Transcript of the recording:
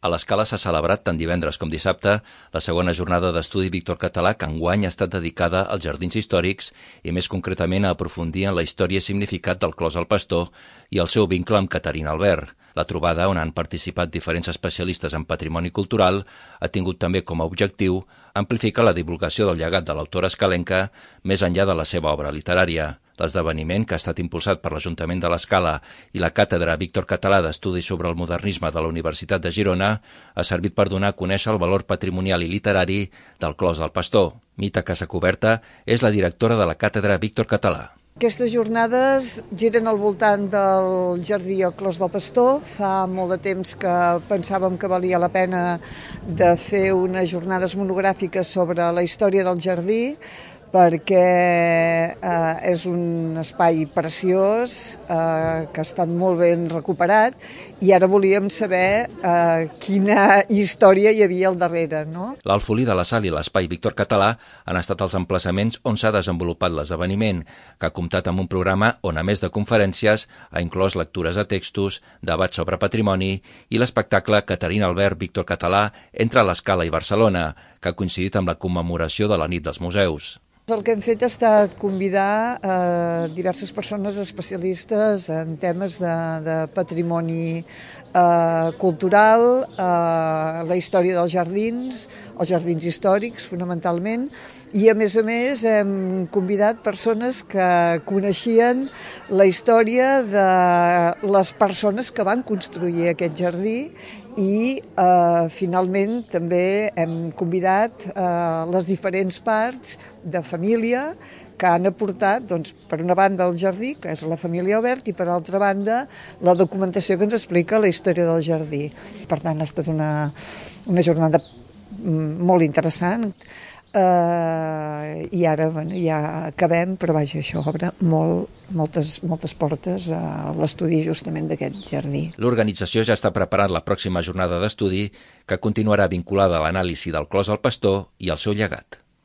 A l'Escala s'ha celebrat tant divendres com dissabte la segona jornada d'estudi Víctor Català, que enguany ha estat dedicada als jardins històrics i més concretament a aprofundir en la història i significat del Clos del Pastor i el seu vincle amb Caterina Albert. La trobada, on han participat diferents especialistes en patrimoni cultural, ha tingut també com a objectiu amplificar la divulgació del llegat de l'autora escalenca més enllà de la seva obra literària. L'esdeveniment, que ha estat impulsat per l'Ajuntament de l'Escala i la Càtedra Víctor Català d'Estudis sobre el Modernisme de la Universitat de Girona, ha servit per donar a conèixer el valor patrimonial i literari del Clos del Pastor. Mita Casacuberta és la directora de la Càtedra Víctor Català. Aquestes jornades giren al voltant del jardí al Clos del Pastor. Fa molt de temps que pensàvem que valia la pena de fer unes jornades monogràfiques sobre la història del jardí, perquè és un espai preciós que ha estat molt ben recuperat i ara volíem saber quina història hi havia al darrere, no? L'Alfolí de la Sal i l'Espai Víctor Català han estat els emplaçaments on s'ha desenvolupat l'esdeveniment, que ha comptat amb un programa on, a més de conferències, ha inclòs lectures de textos, debats sobre patrimoni i l'espectacle Caterina Albert Víctor Català entre l'Escala i Barcelona, que ha coincidit amb la commemoració de la Nit dels Museus. El que hem fet ha estat convidar diverses persones especialistes en temes de patrimoni cultural, la història dels jardins, els jardins històrics fonamentalment, i a més hem convidat persones que coneixien la història de les persones que van construir aquest jardí i finalment també hem convidat les diferents parts de família que han aportat, doncs, per una banda el jardí, que és la família Albert, i per altra banda la documentació que ens explica la història del jardí. Per tant, ha estat una jornada molt interessant. I ara ja acabem, però vaja, això obre moltes portes a l'estudi justament d'aquest jardí. L'organització ja està preparant la pròxima jornada d'estudi, que continuarà vinculada a l'anàlisi del Clos del Pastor i el seu llegat.